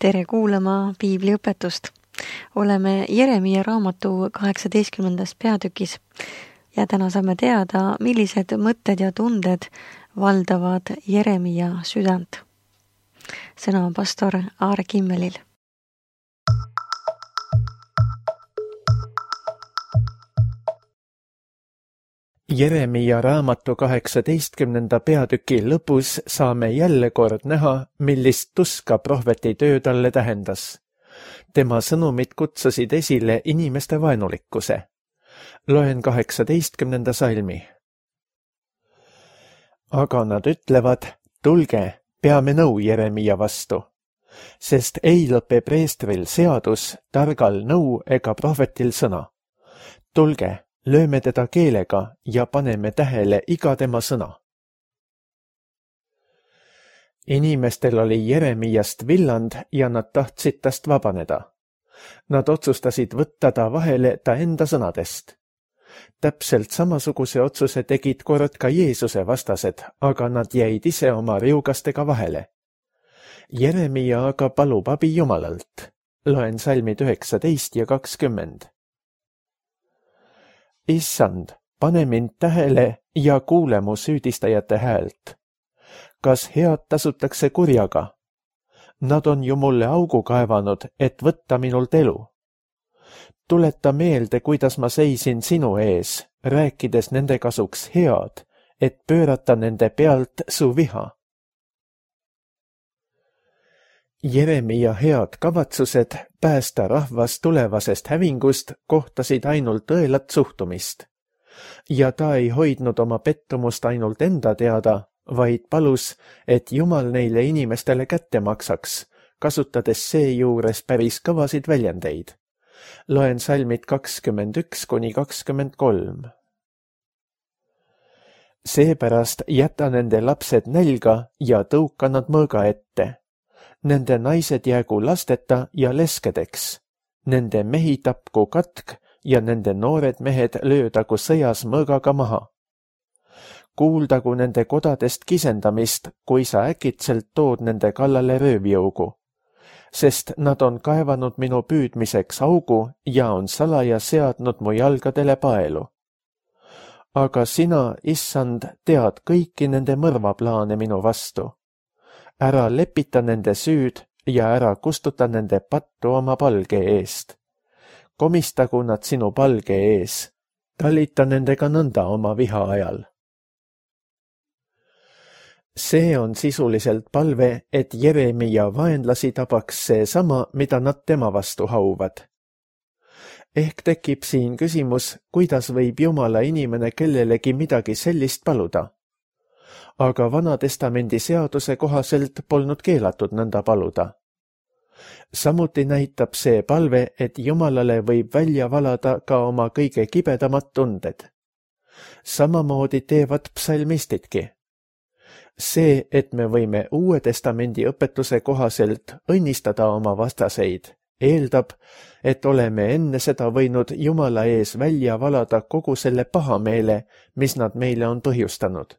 Tere kuulama piibliõpetust. Oleme Jeremia raamatu 18. peatükis ja täna saame teada, millised mõtted ja tunded valdavad Jeremia südant. Sõna on pastor Aare Kimmelil. Jeremia raamatu 18. peatüki lõpus saame jälle kord näha, millist tuska prohveti töö talle tähendas. Tema sõnumid kutsusid esile inimeste vaenulikkuse. Loen 18. salmi. Aga nad ütlevad, tulge, peame nõu Jeremia vastu, sest ei lõpe preestril seadus, targal nõu ega prohvetil sõna. Tulge, lööme teda keelega ja paneme tähele iga tema sõna. Inimestel oli Jeremiast villand ja nad tahtsid tast vabaneda. Nad otsustasid võtta ta vahele ta enda sõnadest. Täpselt samasuguse otsuse tegid kord ka Jeesuse vastased, aga nad jäid ise oma riugastega vahele. Jeremia aga palub abi Jumalalt. Loen salmid 19 ja 20. Issand, pane mind tähele ja kuule mu süüdistajate häält. Kas head tasutakse kurjaga? Nad on ju mulle augu kaevanud, et võtta minult elu. Tuleta meelde, kuidas ma seisin sinu ees, rääkides nende kasuks head, et pöörata nende pealt su viha. Jeremia head kavatsused päästa rahvas tulevasest hävingust kohtasid ainult õelat suhtumist. Ja ta ei hoidnud oma pettumust ainult enda teada, vaid palus, et Jumal neile inimestele kätte maksaks, kasutades seejuures päris kõvasid väljendeid. Loen salmid 21 kuni 23. Seepärast jäta nende lapsed nälga ja tõuka nad mõõga ette. Nende naised jäägu lasteta ja leskedeks. Nende mehi tapku katk ja nende noored mehed löödagu sõjas mõõgaga maha. Kuuldagu nende kodadest kisendamist, kui sa äkitselt tood nende kallale röövjõugu. Sest nad on kaevanud minu püüdmiseks augu ja on salaja seadnud mu jalgadele paelu. Aga sina, issand, tead kõiki nende mõrvaplaane minu vastu. Ära lepita nende süüd ja ära kustuta nende pattu oma palge eest. Komistagu nad sinu palge ees. Talita nendega nõnda oma viha ajal. See on sisuliselt palve, et Jeremia vaenlasi tabaks see sama, mida nad tema vastu hauvad. Ehk tekib siin küsimus, kuidas võib Jumala inimene kellelegi midagi sellist paluda. Aga Vanatestamendi seaduse kohaselt polnud keelatud nõnda paluda. Samuti näitab see palve, et Jumalale võib välja valada ka oma kõige kibedamad tunded. Samamoodi teevad psalmistidki. See, et me võime Uue Testamendi õpetuse kohaselt õnnistada oma vastaseid, eeldab, et oleme enne seda võinud Jumala ees välja valada kogu selle pahameele, mis nad meile on põhjustanud.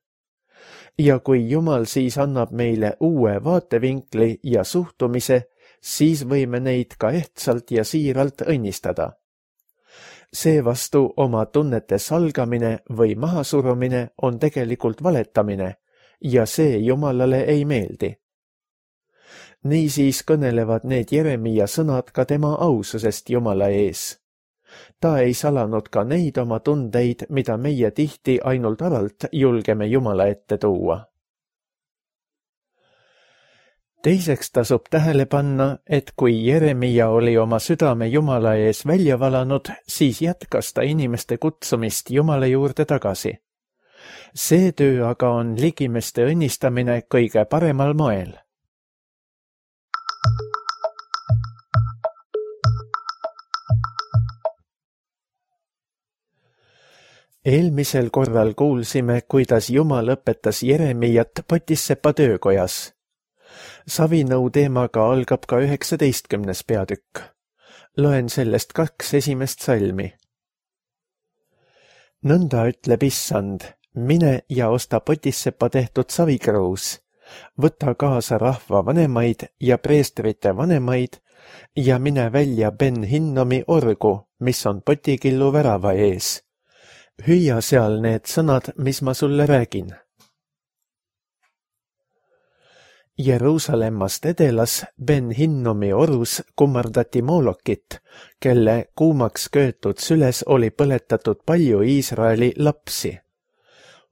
Ja kui Jumal siis annab meile uue vaatevinkli ja suhtumise, siis võime neid ka ehtsalt ja siiralt õnnistada. Seevastu oma tunnete salgamine või mahasurumine on tegelikult valetamine ja see Jumalale ei meeldi. Niisiis kõnelevad need Jeremia sõnad ka tema aususest Jumala ees. Ta ei salanud ka neid oma tundeid, mida meie tihti ainult alalt julgeme Jumala ette tuua. Teiseks tasub tähele panna, et kui Jeremia oli oma südame Jumala ees välja valanud, siis jätkas ta inimeste kutsumist Jumala juurde tagasi. See töö aga on ligimeste õnnistamine kõige paremal moel. Eelmisel korral kuulsime, kuidas Jumal õpetas Jeremiat Potissepa töökojas. Savinõu teemaga algab ka 19. peatükk. Loen sellest 2 esimest salmi. Nõnda ütleb Issand, mine ja osta Potissepa tehtud savikruus, võta kaasa rahva vanemaid ja preestrite vanemaid ja mine välja Ben Hinnomi orgu, mis on potikillu värava ees. Hüüa seal need sõnad, mis ma sulle räägin. Jeruusalemmast edelas Ben Hinnomi orus kummardati Moolokit, kelle kuumaks köetud süles oli põletatud palju Iisraeli lapsi.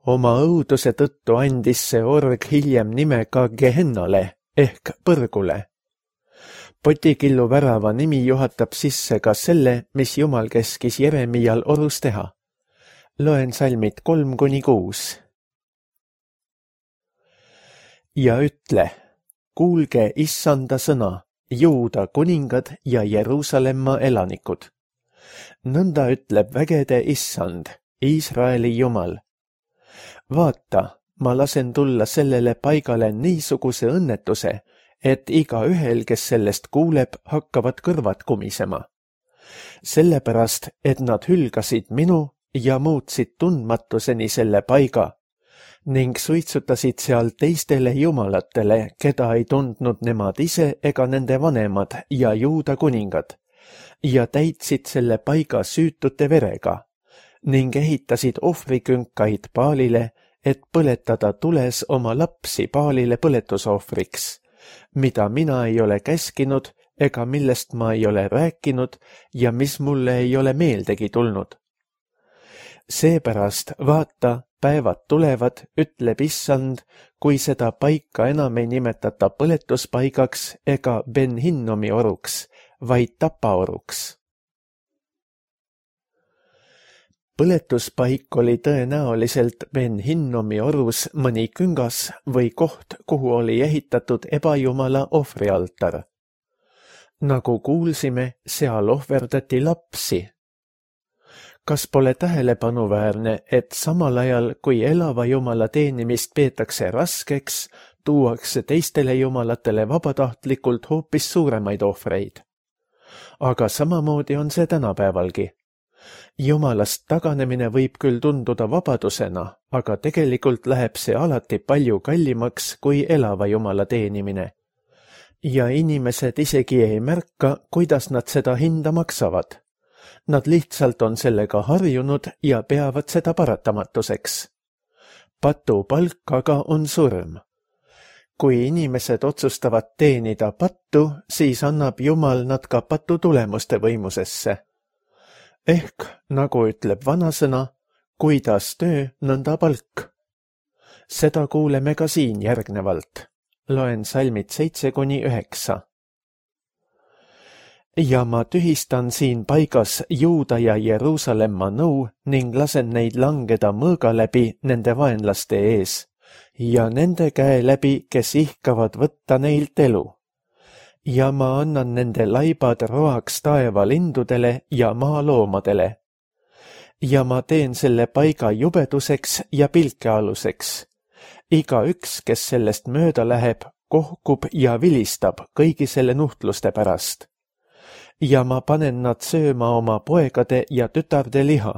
Oma õuduse tõttu andis see org hiljem nime ka Gehennale ehk põrgule. Potikillu värava nimi juhatab sisse ka selle, mis Jumal keskis Jeremial orus teha. Loen salmid 3-6. Ja ütle, kuulge issanda sõna, Juuda kuningad ja Jeruusalemma elanikud. Nõnda ütleb vägede issand, Iisraeli Jumal. Vaata, ma lasen tulla sellele paigale niisuguse õnnetuse, et igaühel, kes sellest kuuleb, hakkavad kõrvad kumisema. Sellepärast, et nad hülgasid minu ja muutsid tundmatuseni selle paiga ning suitsutasid seal teistele jumalatele, keda ei tundnud nemad ise ega nende vanemad ja Juuda kuningad, ja täitsid selle paiga süütute verega ning ehitasid ohvrikünkaid Baalile, et põletada tules oma lapsi Baalile põletusohvriks, mida mina ei ole käskinud ega millest ma ei ole rääkinud ja mis mulle ei ole meeldegi tulnud. Seepärast vaata, päevad tulevad, ütleb issand, kui seda paika enam ei nimetata põletuspaigaks ega Ben Hinnomi oruks, vaid tapaoruks. Põletuspaik oli tõenäoliselt Ben Hinnomi orus mõni küngas või koht, kuhu oli ehitatud ebajumala ohvrialtar. Nagu kuulsime, seal ohverdati lapsi. Kas pole tähelepanuväärne, et samal ajal, kui elava jumala teenimist peetakse raskeks, tuuakse teistele jumalatele vabatahtlikult hoopis suuremaid ohvreid? Aga samamoodi on see tänapäevalgi. Jumalast taganemine võib küll tunduda vabadusena, aga tegelikult läheb see alati palju kallimaks kui elava jumala teenimine. Ja inimesed isegi ei märka, kuidas nad seda hinda maksavad. Nad lihtsalt on sellega harjunud ja peavad seda paratamatuseks. Patupalk aga on surm. Kui inimesed otsustavad teenida pattu, siis annab Jumal nad ka patu tulemuste võimusesse. Ehk, nagu ütleb vanasõna, kuidas töö, nõnda palk. Seda kuuleme ka siin järgnevalt. Loen salmid 7-9. Ja ma tühistan siin paigas Juuda ja Jeruusalemma nõu ning lasen neid langeda mõõga läbi nende vaenlaste ees ja nende käe läbi, kes ihkavad võtta neilt elu. Ja ma annan nende laibad roaks taevalindudele ja maaloomadele. Ja ma teen selle paiga jubeduseks ja pilkealuseks. Igaüks, kes sellest mööda läheb, kohkub ja vilistab kõigi selle nuhtluste pärast. Ja ma panen nad sööma oma poegade ja tütarde liha,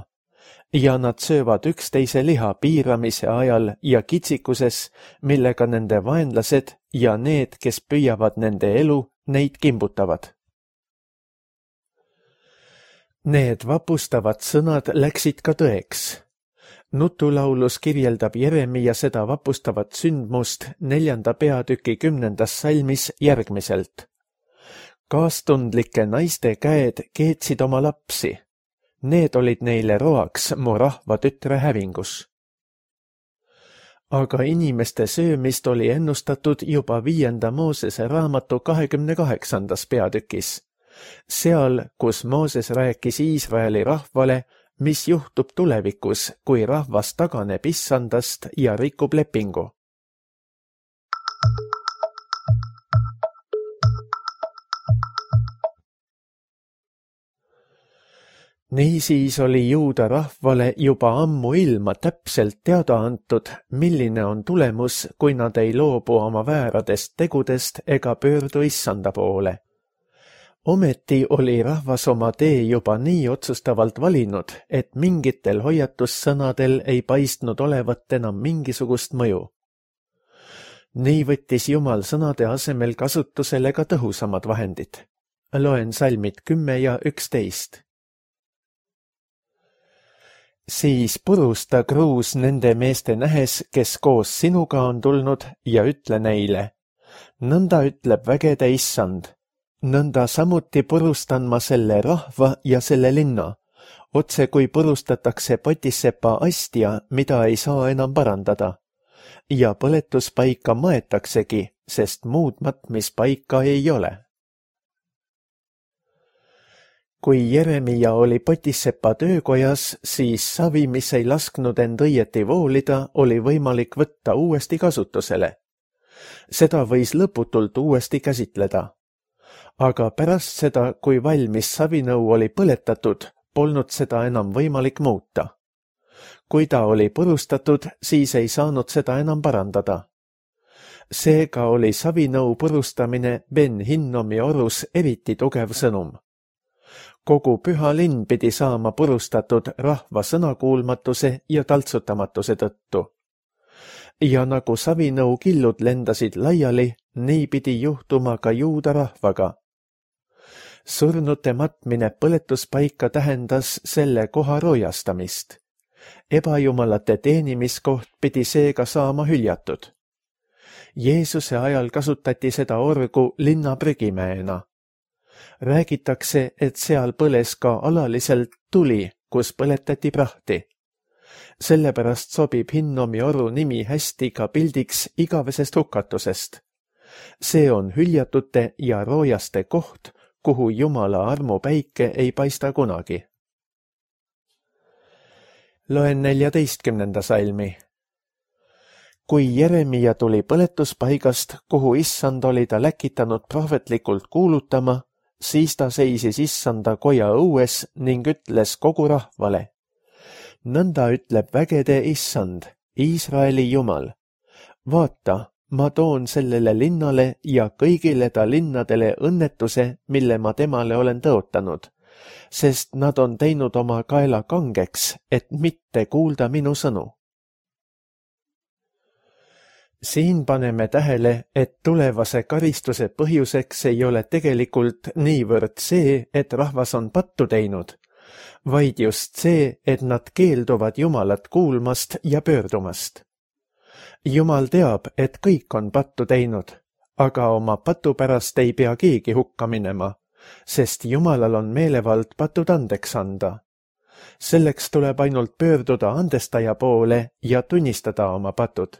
ja nad söövad üksteise liha piiramise ajal ja kitsikuses, millega nende vaenlased ja need, kes püüavad nende elu, neid kimbutavad. Need vapustavad sõnad läksid ka tõeks. Nutulaulus kirjeldab Jeremia seda vapustavat sündmust 4. peatüki 10. salmis järgmiselt. Kaastundlike naiste käed keetsid oma lapsi. Need olid neile roaks mu rahva tütre hävingus. Aga inimeste söömist oli ennustatud juba 5. Moosese raamatu 28. peatükis. Seal, kus Mooses rääkis Iisraeli rahvale, mis juhtub tulevikus, kui rahvas taganeb issandast ja rikub lepingu. Niisiis oli Juuda rahvale juba ammu ilma täpselt teada antud, milline on tulemus, kui nad ei loobu oma vääradest tegudest ega pöördu issanda poole. Ometi oli rahvas oma tee juba nii otsustavalt valinud, et mingitel hoiatussõnadel ei paistnud olevat enam mingisugust mõju. Nii võttis Jumal sõnade asemel kasutusele ka tõhusamad vahendid. Loen salmid 10 ja 11. Siis purusta kruus nende meeste nähes, kes koos sinuga on tulnud, ja ütle neile, nõnda ütleb vägede issand, nõnda samuti purustan ma selle rahva ja selle linna, otse kui purustatakse potissepa astja, mida ei saa enam parandada. Ja põletuspaika maetaksegi, sest muud matmispaika ei ole. Kui Jeremia oli potissepa töökojas, siis savi, mis ei lasknud end õieti voolida, oli võimalik võtta uuesti kasutusele. Seda võis lõputult uuesti käsitleda. Aga pärast seda, kui valmis savinõu oli põletatud, polnud seda enam võimalik muuta. Kui ta oli purustatud, siis ei saanud seda enam parandada. Seega oli savinõu purustamine Ben Hinnomi orus eriti tugev sõnum. Kogu püha linn pidi saama purustatud rahva sõnakuulmatuse ja taltsutamatuse tõttu. Ja nagu savinõu killud lendasid laiali, nii pidi juhtuma ka juuda rahvaga. Surnute matmine põletuspaika tähendas selle koha roojastamist. Ebajumalate teenimiskoht pidi seega saama hüljatud. Jeesuse ajal kasutati seda orgu linna prügimäena. Räägitakse, et seal põles ka alaliselt tuli, kus põletati prahti. Sellepärast sobib Hinnomi oru nimi hästi ka pildiks igavesest hukatusest. See on hüljatute ja roojaste koht, kuhu Jumala armupäike ei paista kunagi. Loen 14. salmi. Kui Jeremia tuli põletuspaigast, kuhu issand oli ta läkitanud prohvetlikult kuulutama, siis ta seisis issanda koja õues ning ütles kogu rahvale. Nõnda ütleb vägede issand, Iisraeli Jumal. Vaata, ma toon sellele linnale ja kõigile ta linnadele õnnetuse, mille ma temale olen tõotanud, sest nad on teinud oma kaela kangeks, et mitte kuulda minu sõnu. Siin paneme tähele, et tulevase karistuse põhjuseks ei ole tegelikult niivõrd see, et rahvas on pattu teinud, vaid just see, et nad keelduvad Jumalat kuulmast ja pöördumast. Jumal teab, et kõik on pattu teinud, aga oma patu pärast ei pea keegi hukka minema, sest Jumalal on meelevald patud andeks anda. Selleks tuleb ainult pöörduda andestaja poole ja tunnistada oma patud.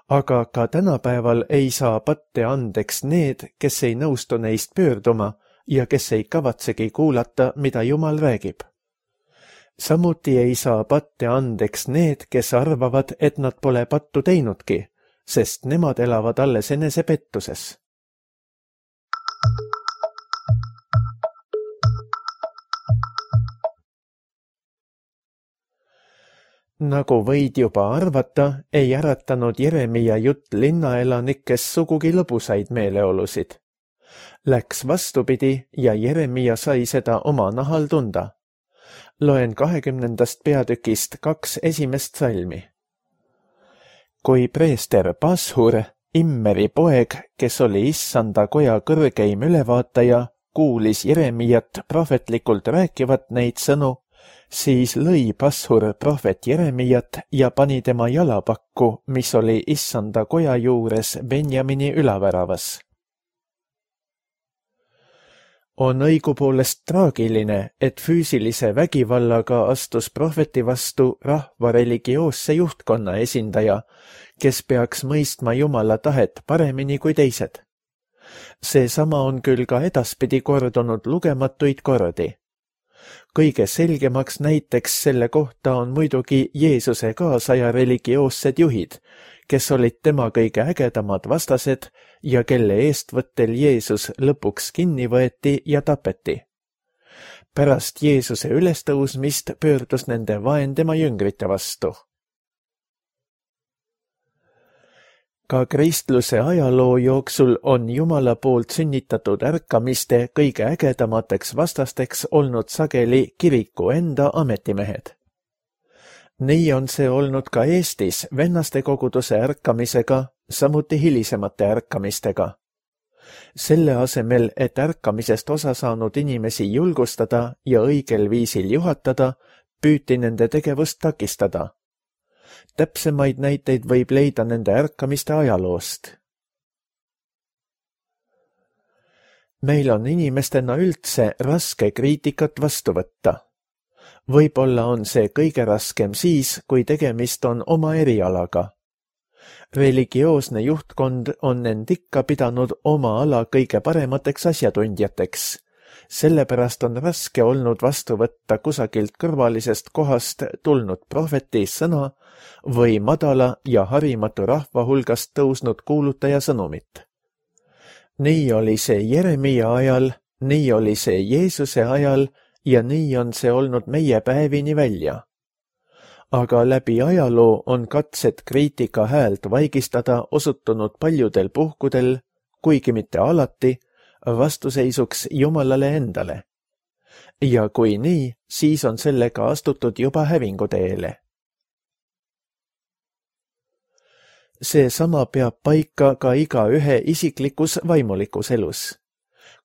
Aga ka tänapäeval ei saa patte andeks need, kes ei nõustu neist pöörduma ja kes ei kavatsegi kuulata, mida Jumal räägib. Samuti ei saa patte andeks need, kes arvavad, et nad pole pattu teinudki, sest nemad elavad alles enesepettuses. Nagu võid juba arvata, ei äratanud Jeremia jutt linnaelanikes sugugi lõbusaid meeleolusid. Läks vastupidi ja Jeremia sai seda oma nahal tunda. Loen 20. peatükist 2 esimest salmi. Kui preester Pashur, Immeri poeg, kes oli issanda koja kõrgeim ülevaataja, kuulis Jeremiat prohvetlikult rääkivat neid sõnu, siis lõi Pashur prohvet Jeremiat ja pani tema jalapakku, mis oli issanda koja juures Benjamini ülaväravas. On õigupoolest traagiline, et füüsilise vägivallaga astus prohveti vastu rahva religioosse juhtkonna esindaja, kes peaks mõistma Jumala tahet paremini kui teised. Seesama on küll ka edaspidi kordunud lugematuid kordi. Kõige selgemaks näiteks selle kohta on muidugi Jeesuse kaasaja religioossed juhid, kes olid tema kõige ägedamad vastased ja kelle eestvõttel Jeesus lõpuks kinni võeti ja tapeti. Pärast Jeesuse ülestõusmist pöördus nende vaen tema jüngrite vastu. Ka kristluse ajaloo jooksul on Jumala poolt sünnitatud ärkamiste kõige ägedamateks vastasteks olnud sageli kiriku enda ametimehed. Nii on see olnud ka Eestis vennastekoguduse ärkamisega samuti hilisemate ärkamistega. Selle asemel, et ärkamisest osa saanud inimesi julgustada ja õigel viisil juhatada, püüti nende tegevust takistada. Täpsemaid näiteid võib leida nende ärkamiste ajaloost. Meil on inimestena üldse raske kriitikat vastu võtta. Võib-olla on see kõige raskem siis, kui tegemist on oma erialaga. Religioosne juhtkond on end ikka pidanud oma ala kõige paremateks asjatundjateks. Sellepärast on raske olnud vastu võtta kusagilt kõrvalisest kohast tulnud prohveti sõna või madala ja harimatu rahva hulgast tõusnud kuulutaja sõnumit. Nii oli see Jeremia ajal, nii oli see Jeesuse ajal ja nii on see olnud meie päevini välja. Aga läbi ajaloo on katsed kriitika häält vaigistada osutunud paljudel puhkudel, kuigi mitte alati, vastuseisuks Jumalale endale. Ja kui nii, siis on sellega astutud juba hävinguteele. Seesama peab paika ka igaühe isiklikus vaimulikus elus.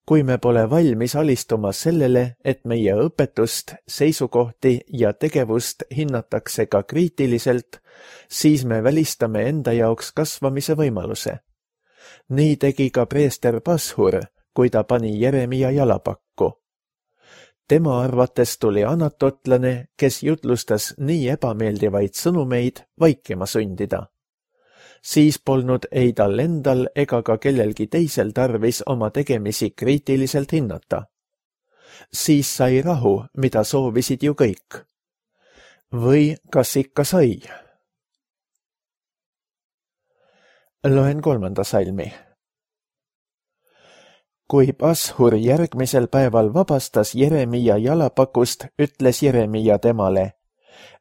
Kui me pole valmis alistuma sellele, et meie õpetust, seisukohti ja tegevust hinnatakse ka kriitiliselt, siis me välistame enda jaoks kasvamise võimaluse. Nii tegi ka preester Pashur, kui ta pani Jeremia jalapakku. Tema arvates tuli anatotlane, kes jutlustas nii ebameeldivaid sõnumeid, vaikima sundida. Siis polnud ei tal endal ega ka kellelgi teisel tarvis oma tegemisi kriitiliselt hinnata. Siis sai rahu, mida soovisid ju kõik. Või kas ikka sai? Loen 3. salmi. Kui Pashur järgmisel päeval vabastas Jeremia jalapakust, ütles Jeremia temale: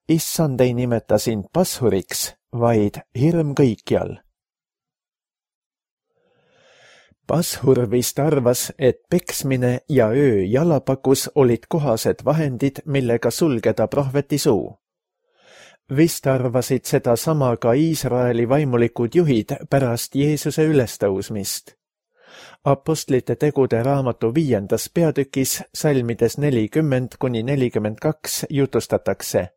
Issand ei nimeta sind Pashuriks, vaid hirm kõikjal. Pashur vist arvas, et peksmine ja öö jalapakus olid kohased vahendid, millega sulgeda prohveti suu. Vist arvasid seda sama ka Iisraeli vaimulikud juhid pärast Jeesuse ülestõusmist. Apostlite tegude raamatu 5. peatükis salmides 40–42 jutustatakse.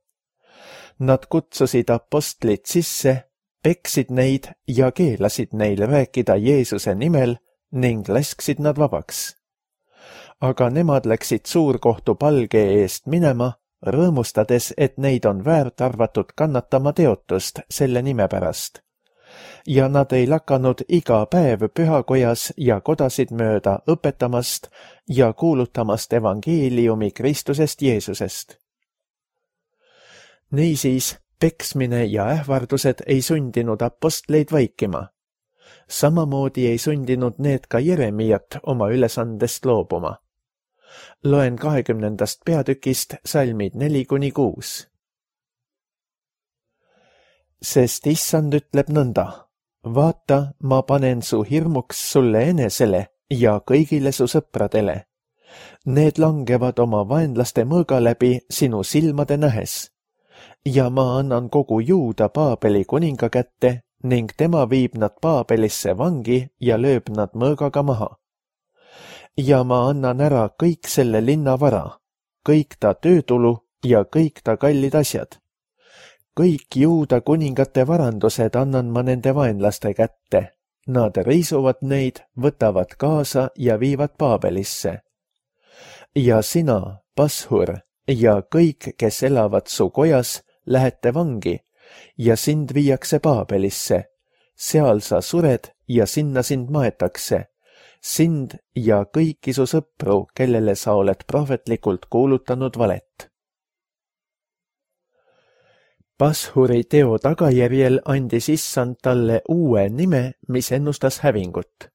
Nad kutsusid apostlid sisse, peksid neid ja keelasid neil rääkida Jeesuse nimel ning lasksid nad vabaks. Aga nemad läksid suurkohtu palge eest minema, rõõmustades, et neid on väärt arvatud kannatama teotust selle nime pärast. Ja nad ei lakanud iga päev pühakojas ja kodasid mööda õpetamast ja kuulutamast evangeeliumi Kristusest Jeesusest. Niisiis, peksmine ja ähvardused ei sundinud apostleid vaikima. Samamoodi ei sundinud need ka Jeremiat oma ülesandest loobuma. Loen 20. peatükist salmid 4–6. Sest Issand ütleb nõnda: vaata, ma panen su hirmuks sulle enesele ja kõigile su sõpradele. Need langevad oma vaenlaste mõõga läbi sinu silmade nähes. Ja ma annan kogu Juuda Paabeli kuninga kätte ning tema viib nad Paabelisse vangi ja lööb nad mõõgaga maha. Ja ma annan ära kõik selle linna vara, kõik ta töötulu ja kõik ta kallid asjad. Kõik Juuda kuningate varandused annan ma nende vaenlaste kätte. Nad riisuvad neid, võtavad kaasa ja viivad Paabelisse. Ja sina, Pashur, ja kõik, kes elavad su kojas, lähete vangi ja sind viiakse Paabelisse. Seal sa sured ja sinna sind maetakse. Sind ja kõiki su sõpru, kellele sa oled prohvetlikult kuulutanud valet. Pashuri teo tagajärjel andis Issand talle uue nime, mis ennustas hävingut.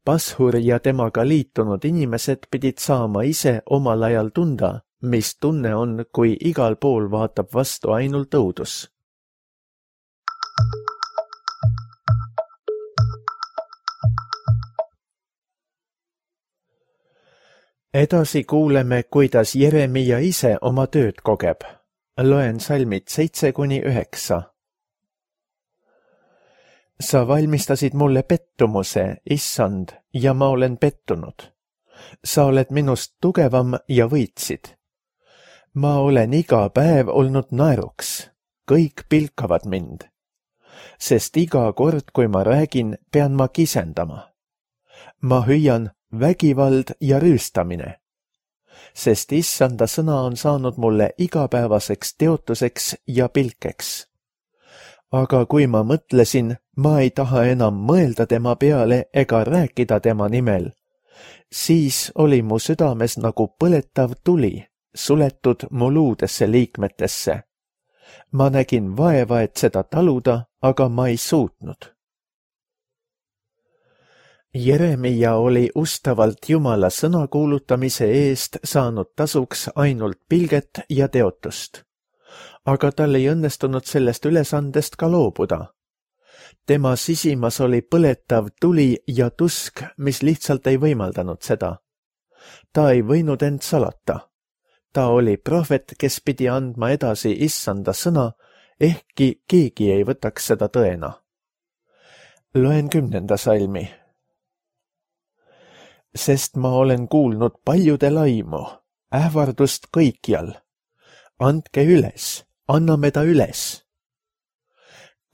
Pashur ja temaga liitunud inimesed pidid saama ise omal ajal tunda, mis tunne on, kui igal pool vaatab vastu ainult õudus. Edasi kuuleme, kuidas Jeremia ise oma tööd kogeb. Loen salmid 7–9. Sa valmistasid mulle pettumuse, issand, ja ma olen pettunud. Sa oled minust tugevam ja võitsid. Ma olen iga päev olnud naeruks, kõik pilkavad mind. Sest iga kord, kui ma räägin, pean ma kisendama. Ma hüüan vägivald ja rüüstamine. Sest issanda sõna on saanud mulle igapäevaseks teotuseks ja pilkeks. Aga kui ma mõtlesin, ma ei taha enam mõelda tema peale ega rääkida tema nimel, siis oli mu südames nagu põletav tuli, suletud mu luudesse liikmetesse. Ma nägin vaeva, et seda taluda, aga ma ei suutnud. Jeremia oli ustavalt Jumala sõna kuulutamise eest saanud tasuks ainult pilget ja teotust. Aga tal ei õnnestunud sellest ülesandest ka loobuda. Tema sisimas oli põletav tuli ja tusk, mis lihtsalt ei võimaldanud seda. Ta ei võinud end salata. Ta oli prohvet, kes pidi andma edasi issanda sõna, ehkki keegi ei võtaks seda tõena. Loen 10. salmi. Sest ma olen kuulnud paljude laimu, ähvardust kõikjal. Andke üles, anname ta üles.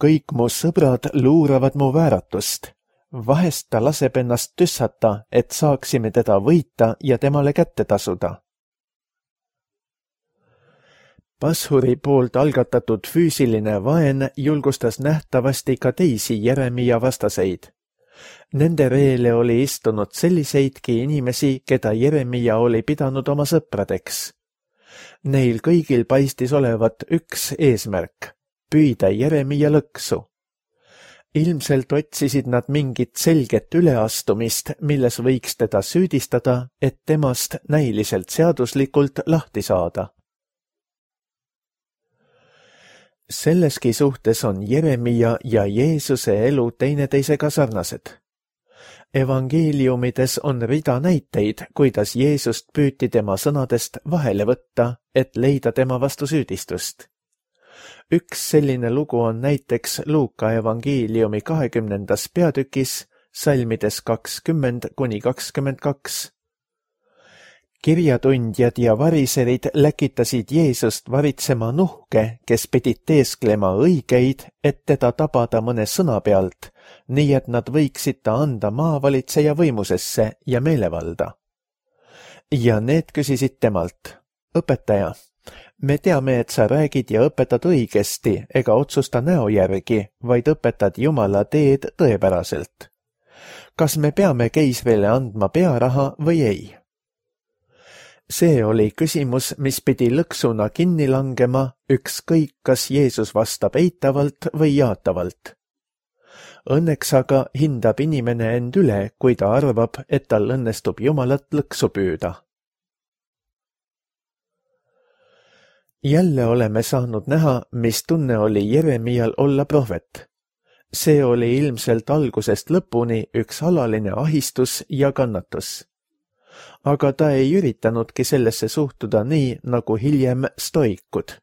Kõik mu sõbrad luuravad mu vääratust. Vahest ta laseb ennast tüssata, et saaksime teda võita ja temale kätte tasuda. Pashuri poolt algatatud füüsiline vaen julgustas nähtavasti ka teisi Jeremia vastaseid. Nende reele oli istunud selliseidki inimesi, keda Jeremia oli pidanud oma sõpradeks. Neil kõigil paistis olevat üks eesmärk, püüda Jeremia lõksu. Ilmselt otsisid nad mingit selget üleastumist, milles võiks teda süüdistada, et temast näiliselt seaduslikult lahti saada. Selleski suhtes on Jeremia ja Jeesuse elu teineteisega sarnased. Evangeeliumides on rida näiteid, kuidas Jeesust püüti tema sõnadest vahele võtta, et leida tema vastu süüdistust. Üks selline lugu on näiteks Luuka evangeeliumi 20. peatükis, salmides 20–22. Kirjatundjad ja variserid läkitasid Jeesust varitsema nuhke, kes pidid teesklema õigeid, et teda tabada mõne sõna pealt, nii et nad võiksid ta anda maavalitseja võimusesse ja meelevalda. Ja need küsisid temalt, õpetaja, me teame, et sa räägid ja õpetad õigesti ega otsusta näo järgi, vaid õpetad Jumala teed tõepäraselt. Kas me peame keisrile andma pearaha või ei? See oli küsimus, mis pidi lõksuna kinni langema, ükskõik kas Jeesus vastab eitavalt või jaatavalt. Õnneks aga hindab inimene end üle, kui ta arvab, et tal õnnestub Jumalat lõksu püüda. Jälle oleme saanud näha, mis tunne oli Jeremial olla prohvet. See oli ilmselt algusest lõpuni üks alaline ahistus ja kannatus. Aga ta ei üritanudki sellesse suhtuda nii, nagu hiljem stoikud.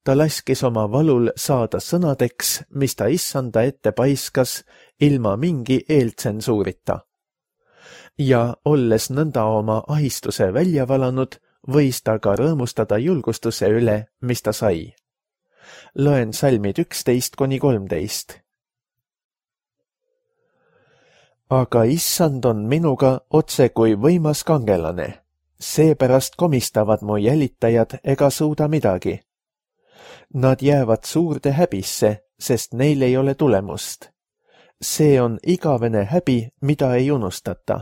Ta laskis oma valul saada sõnadeks, mis ta issanda ette paiskas, ilma mingi eeltsensuurita. Ja olles nõnda oma ahistuse välja valanud, võis ta ka rõõmustada julgustuse üle, mis ta sai. Loen salmid 11–13. Aga issand on minuga otse kui võimas kangelane, seepärast komistavad mu jälitajad ega suuda midagi. Nad jäävad suurde häbisse, sest neil ei ole tulemust. See on igavene häbi, mida ei unustata.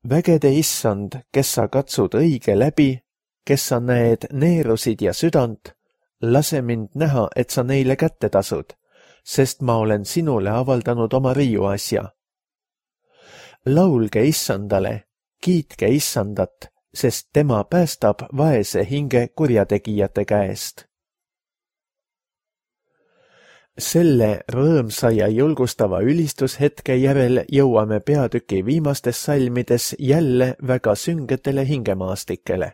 Vägede issand, kes sa katsud õige läbi, kes sa näed neerusid ja südant, lase mind näha, et sa neile kätte tasud, sest ma olen sinule avaldanud oma riiuasja. Laulge issandale, kiitke issandat, sest tema päästab vaese hinge kurjategijate käest. Selle rõõmsa ja julgustava ülistushetke järel jõuame peatüki viimastes salmides jälle väga süngetele hingemaastikele.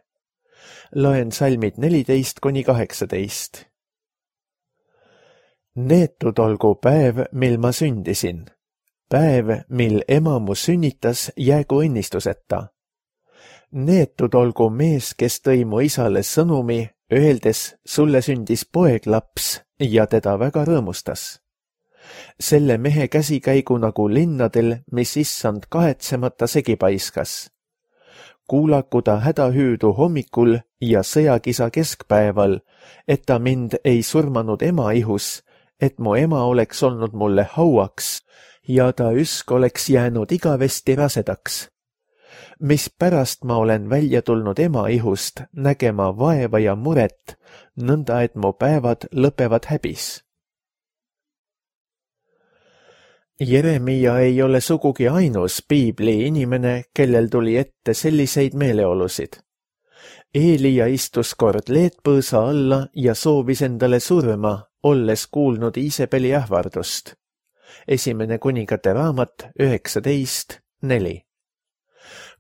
Loen salmid 14–18. Neetud olgu päev, mil ma sündisin. Päev, mil ema mu sünnitas, jäägu õnnistuseta. Neetud olgu mees, kes tõi mu isale sõnumi, öeldes, sulle sündis poeglaps ja teda väga rõõmustas. Selle mehe käsikäigu nagu linnadel, mis issand kahetsemata segi paiskas. Kuulaku ta hädahüüdu hommikul ja sõjakisa keskpäeval, et ta mind ei surmanud ema ihus, et mu ema oleks olnud mulle hauaks ja ta üsk oleks jäänud igavesti rasedaks. Mispärast ma olen välja tulnud ema ihust nägema vaeva ja muret, nõnda et mu päevad lõpevad häbis. Jeremia ei ole sugugi ainus piibli inimene, kellel tuli ette selliseid meeleolusid. Eelia istus kord leetpõõsa alla ja soovis endale surma, olles kuulnud Iisebeli ähvardust. Esimene kuningate raamat 19:4.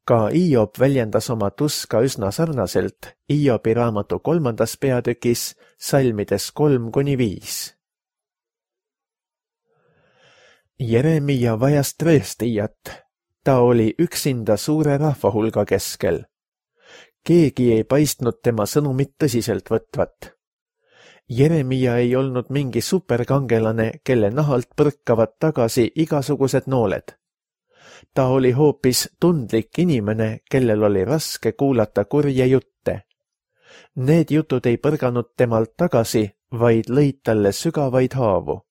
Ka Hiob väljendas oma tuska üsna sarnaselt Hiobi raamatu 3. peatükis salmides 3-5. Jeremia vajas tõestijat. Ta oli üksinda suure rahvahulga keskel. Keegi ei paistnud tema sõnumit tõsiselt võtvat. Jeremia ei olnud mingi superkangelane, kelle nahalt põrkavad tagasi igasugused nooled. Ta oli hoopis tundlik inimene, kellel oli raske kuulata kurje jutte. Need jutud ei põrganud temalt tagasi, vaid lõid talle sügavaid haavu.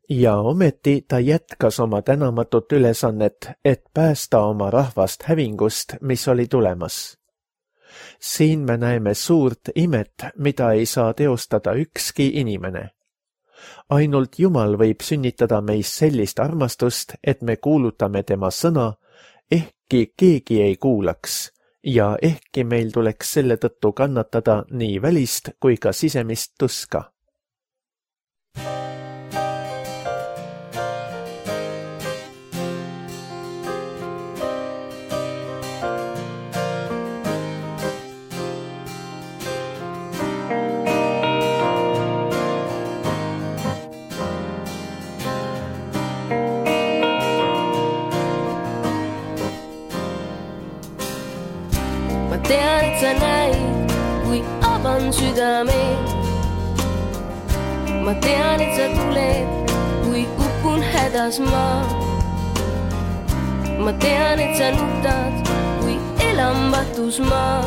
Ja ometi ta jätkas oma tänamatut ülesannet, et päästa oma rahvast hävingust, mis oli tulemas. Siin me näeme suurt imet, mida ei saa teostada ükski inimene. Ainult Jumal võib sünnitada meis sellist armastust, et me kuulutame tema sõna, ehkki keegi ei kuulaks, ja ehkki meil tuleks selle tõttu kannatada nii välist kui ka sisemist tuska. Tean, et sa näid, kui avan südameid. Ma tean, et sa tuled, kui upun hädas ma. Ma tean, et sa nutad, kui elambatus ma.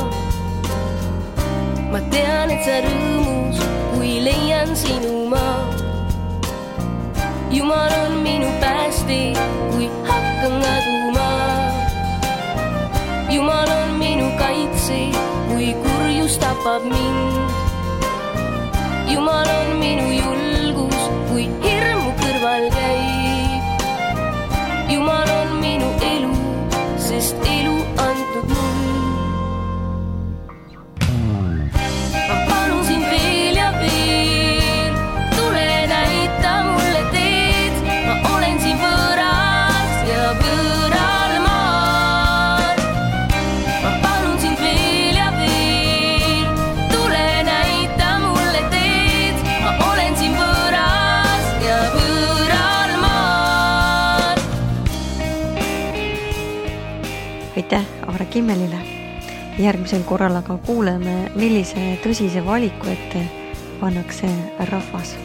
Ma tean, et sa rõõmus, kui leian sinu ma. Jumal on minu päästi, kui hakkan kaduma. Jumal on minu kaitse, kui kurjus tapab mind. Jumal on minu julgus, kui hirmu kõrval käib. Jumal on minu elu, sest elu antud mul. Ma palun sind veel ja veel, tule näita mulle teed. Ma olen siin võõras ja võõral maal. Ma palun sind veel ja veel, tule näita mulle teed. Ma olen siin võõras ja võõral maal. Aitäh Aare Kimmelile. Järgmisel korral aga kuuleme, millise tõsise valiku ette pannakse rahvas.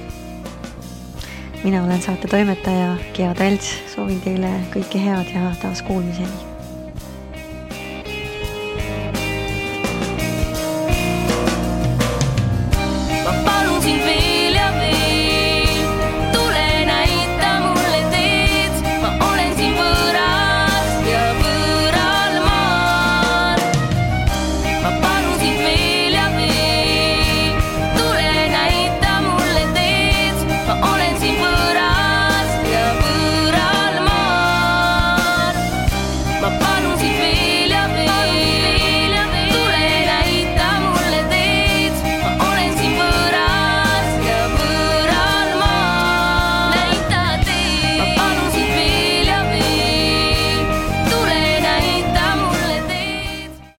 Mina olen saate toimetaja Gea Talts, soovin teile kõike head ja taas kuulmiseni.